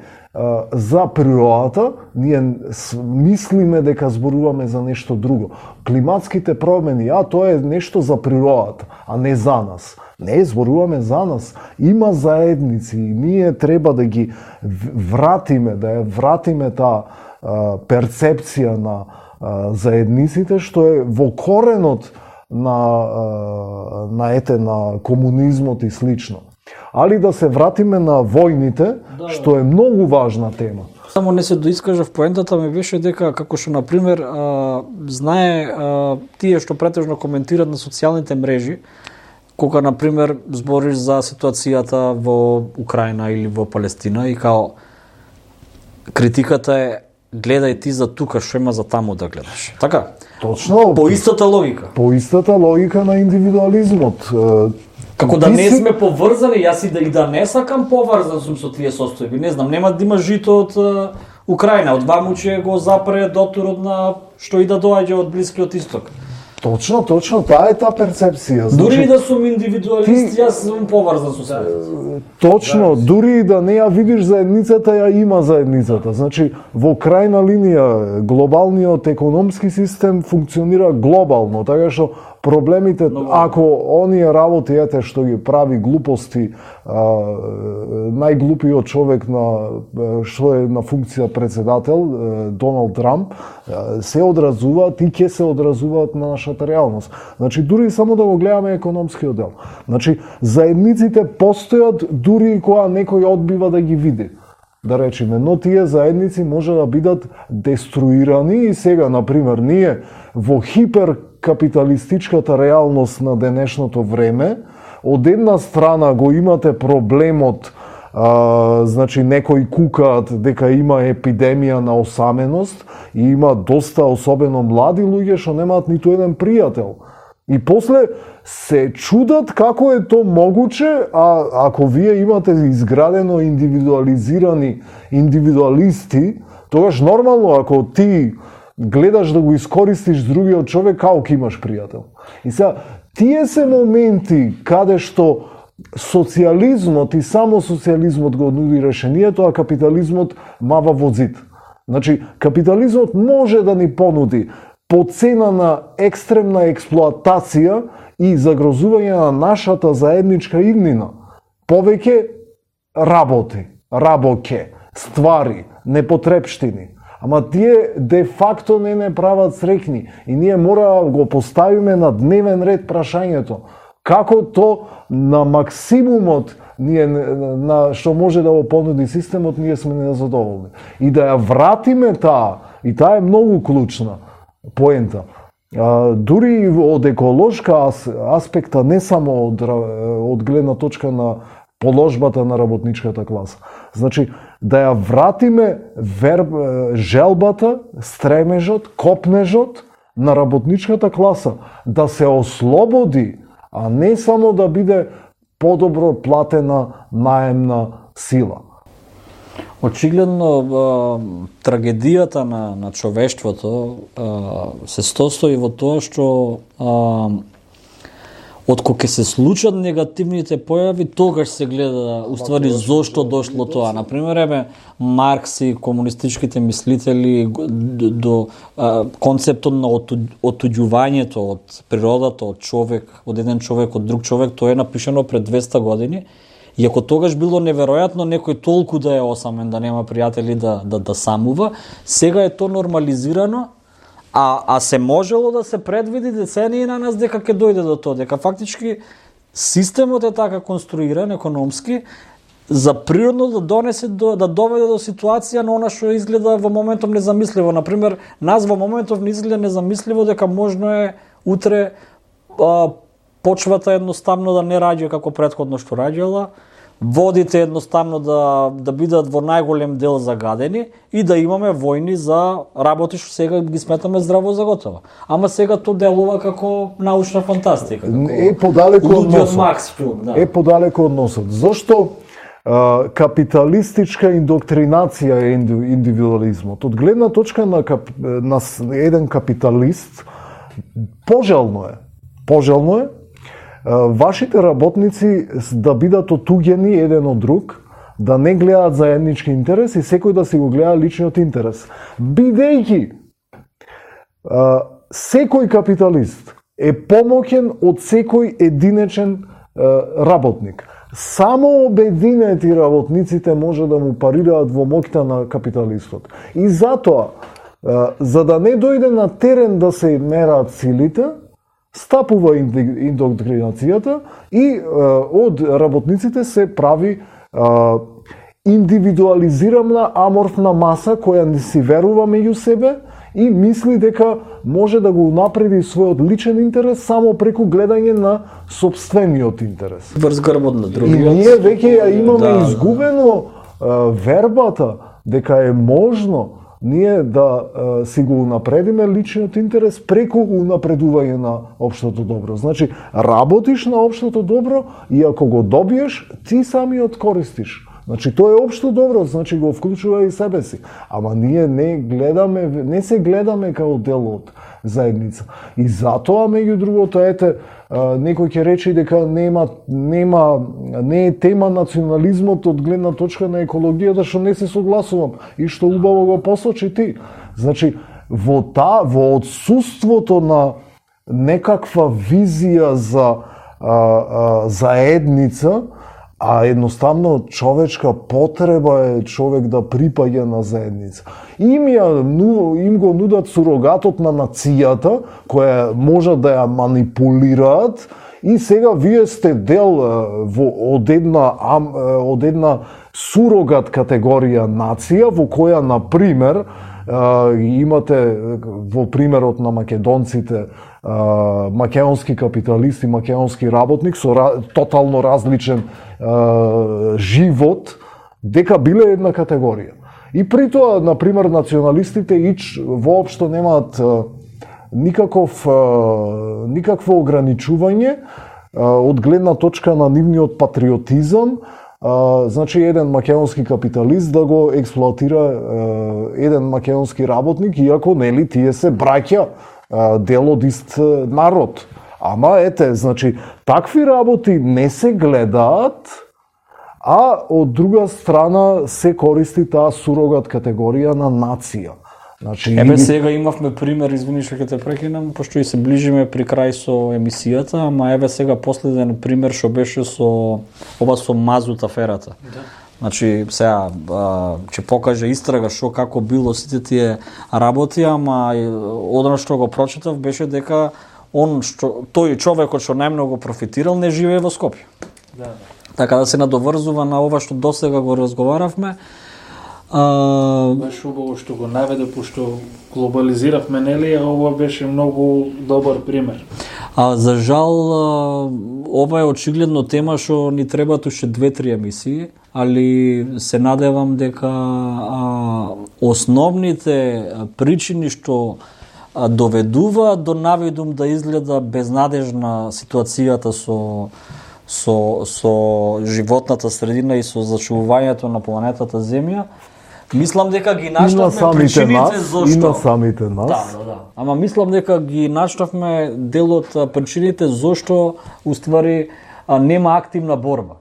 за природата, ние мислиме дека зборуваме за нешто друго. Климатските промени, тоа е нешто за природата, а не за нас. Не, зборуваме за нас. Има заедници и ние треба да ги вратиме, да ја вратиме таа перцепција на заедниците, што е во коренот на комунизмот и слично. Али да се вратиме на војните, што е многу важна тема. Само не се доискажав, поентата ми беше дека, како што, например, знае тие што претежно коментират на социјалните мрежи, кога, например, збориш за ситуацијата во Украина или во Палестина и као критиката е гледај ти за тука, што има за таму да гледаш. Така? Точно. По истата логика. По истата логика на индивидуализмот. Како да не сме поврзани, јас и да не сакам поврзан сум со тие состојби. Не знам, нема да има жито од Украина, од ваму ќе го запре доторот на што и да доаѓа од Блискиот Исток. Точно, таа е таа перцепција. Дури и да сум индивидуалист, јас сум поврзан со себе. Точно, дури и да не ја видиш заедницата, ја има заедницата. Значи, во крајна линија, глобалниот економски систем функционира глобално, така што проблемите, ако оние работи, што ги прави глупости, најглупиот човек што е на функција председател, Доналд Трамп, се одразуваат и ќе се одразуваат на нашата реалност. Значи, дури само да го гледаме економскиот дел. Значи, заедниците постојат дури и кога некој одбива да ги види. Да речеме, но тие заедници може да бидат деструирани и сега, например, ние во хиперкапиталистичката реалност на денешното време, од една страна го имате проблемот, значи некои кукаат дека има епидемија на осаменост и има доста, особено млади луѓе, што немаат ниту еден пријател. И после се чудат како е то могуче, а ако вие имате изградено индивидуализирани индивидуалисти, тогаш нормално ако ти гледаш да го искористиш другиот човек, како ќе имаш пријател. И сега, тие се моменти каде што социјализмот и само социјализмот го нуди решението, а капитализмот мава во зид. Значи, капитализмот може да ни понуди по цена на екстремна експлоатација и загрозување на нашата заедничка иднина. Повеќе работе, ствари, непотребштини. Ама тие де факто не прават среќни и ние мора да го поставиме на дневен ред прашањето како то на максимумот ние на што може да го понуди системот, ние сме незадоволни. И да ја вратиме таа, и таа е многу клучна поента. Дури од еколошка аспекта, не само од гледна точка на положбата на работничката класа. Значи, да ја вратиме желбата, стремежот, копнежот на работничката класа, да се ослободи, а не само да биде подобро платена наемна сила. Очигледно, трагедијата на човештвото се состои во тоа што откога се случат негативните појави, тогаш се гледа уствари зошто дошло тоа. Например, Маркс и комунистичките мислители до концептот на отуѓувањето од природата, од човек, од еден човек, од друг човек, тоа е напишано пред 200 години. И ако тогаш било неверојатно некој толку да е осамен, да нема пријатели, да самува, сега е то нормализирано, а се можело да се предвиди децении на нас дека ќе дојде до тоа, дека фактички системот е така конструиран економски за природно да донесе да доведе до ситуација на она што изгледа во моментов незамисливо. Например, нас во моментов не изгледа незамисливо дека можно е утре почвата едноставно да не раѓа како претходно што раѓала, водите едноставно да бидат во најголем дел загадени и да имаме војни за работи што сега ги сметаме здраво за готово. Ама сега тоа делува како научна фантастика. Е подалеку од носот. Макс филм, да. Е подалеку од носот. Зошто капиталистичка индоктринација е индивидуализмот? Од гледна точка на еден капиталист, пожелно е вашите работници да бидат отуѓени еден од друг, да не гледаат заеднички интерес и секој да си го гледа личниот интерес. Бидејќи секој капиталист е помоќен од секој единечен работник. Само обединети работниците може да му парираат во моќта на капиталистот. И затоа, за да не дојде на терен да се мераат силите, стапува индоктринацијата и од работниците се прави индивидуализирана аморфна маса која не си верува меѓу себе и мисли дека може да го напреди својот личен интерес само преку гледање на сопствениот интерес. Врз грбот на другиот. И ние веќе ја имаме изгубено вербата дека е можно ние да си го унапредиме личниот интерес преку унапредување на општото добро. Значи, работиш на општото добро и ако го добиеш, ти самиот користиш. Значи, тоа е општо добро, значи го вклучува и себе си. Ама ние не се гледаме као дел од заедница. И затоа, меѓу другото, некој ќе рече дека не е тема национализмот од гледна точка на екологијата, што не се согласувам и што убаво го посочи ти. Значи, во отсуството на некаква визија за заедница, а едноставно човечка потреба е човек да припаѓа на заедница. Им го нудат сурогатот на нацијата, која може да ја манипулираат, и сега вие сте дел од една сурогат категорија нација, во која, например, имате во примерот на македонците македонски капиталист и македонски работник со тотално различен живот, дека биле една категорија. И при тоа, например, националистите воопшто немаат никакво ограничување од гледна точка на нивниот патриотизам. Значи, еден македонски капиталист да го експлоатира еден македонски работник, иако нели тие се браќа, дел од ист народ. Ама значи, такви работи не се гледаат, а од друга страна се користи таа сурогат категорија на нација. Значи, сега имавме пример, извини што ќе те прекинам, пошто и се ближиме при крај со емисијата, ама сега последен пример што беше со мазут аферата. Да. Значи, сега ќе покаже истрага како било сите тие работи, ама одно што го прочитав беше дека тој човекот што најмногу профитирал не живее во Скопје. Да. Така да се надоврзува на ова што досега го разговаравме. Беше убаво што го наведе, пошто глобализиравме, нели, а ова беше многу добар пример. За жал, ова е очигледно тема што ни требаат уште 2-3 емисии, али се надевам дека основните причини што доведуваат до навидум да изгледа безнадежна ситуацијата со животната средина и со зачувувањето на планетата Земја, мислам дека ги наштавме причините зошто. И на самите нас. Да. Ама мислам дека ги наштавме дел од причините зошто уствари нема активна борба.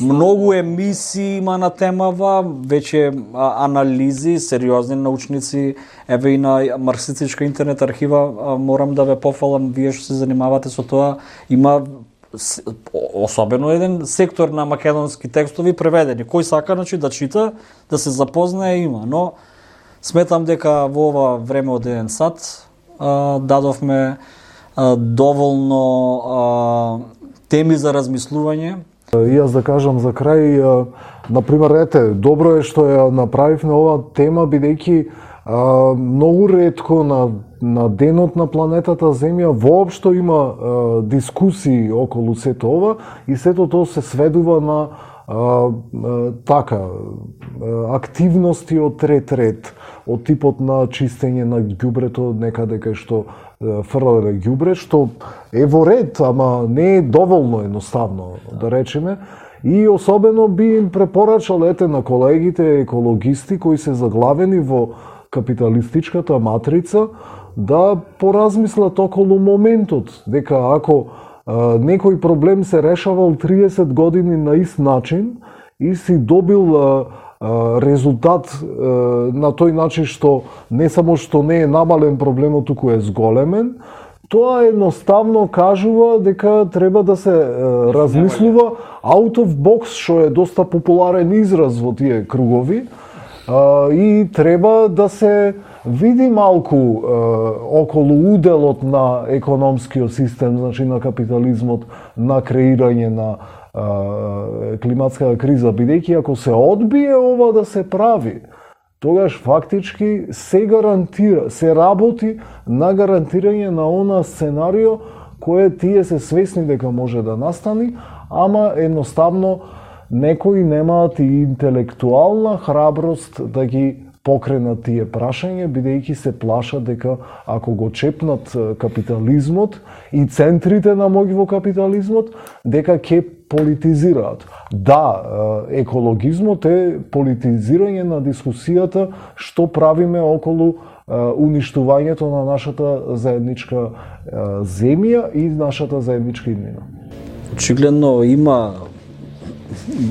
Многу емисии има на темава, веќе анализи, сериозни научници, и на марксистичка интернет архива, морам да ве пофалам, вие што се занимавате со тоа, има особено еден сектор на македонски текстови преведени. Кој сака, значи, да чита, да се запознае, има. Но сметам дека во ова време од еден сат дадовме доволно теми за размислување. И јас да кажам за крај, например, добро е што ја направивме оваа тема, бидејќи Многу ретко на денот на планетата Земја воопшто има дискусии околу сето ова и сето тоа се сведува на активности од трет ред, од типот на чистење на ѓубрето некаде кај што фрлале ѓубре, што е во ред, ама не е доволно едноставно, да речеме. И особено би им препорачал на колегите екологисти кои се заглавени во капиталистичката матрица да поразмислат околу моментот, дека ако некој проблем се решавал 30 години на ист начин и си добил резултат на тој начин што не само што не е намален проблемот, туку е зголемен, тоа едноставно кажува дека треба да се размислува out of box, што е доста популарен израз во тие кругови, и треба да се види малку околу уделот на економскиот систем, значи на капитализмот, на креирање на климатската криза, бидејќи ако се одбие ова да се прави, тогаш фактички се гарантира, се работи на гарантирање на она сценарио кое тие се свесни дека може да настани, ама едноставно некои немаат и интелектуална храброст да ги покренат тие прашања, бидејќи се плашат дека ако го чепнат капитализмот и центрите на моќ во капитализмот, дека ќе политизираат. Да, екологизмот е политизирање на дискусијата што правиме околу уништувањето на нашата заедничка земја и нашата заедничка иднина. Очигледно има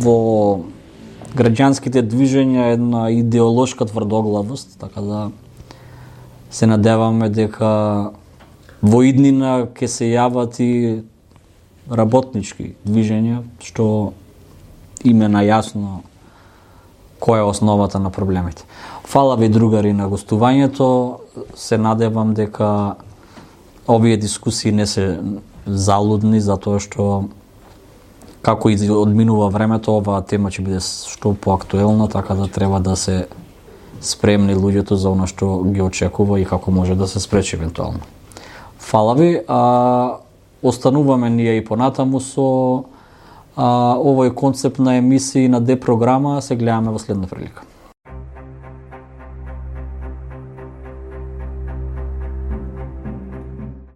во граѓанските движења една идеолошка тврдоглавост, така да се надеваме дека во иднина ќе се јават и работнички движења што им е најасно која е основата на проблемите. Фала ви, другари, на гостувањето. Се надевам дека овие дискусии не се залудни, затоа што како и одминува времето, оваа тема ќе биде што поактуелна, така да треба да се спремни луѓето за она што ги очекува и како може да се спречи евентуално. Фала ви, остануваме ние и понатаму со овој концепт на емисии на Д програма, се гледаме во следна прилика.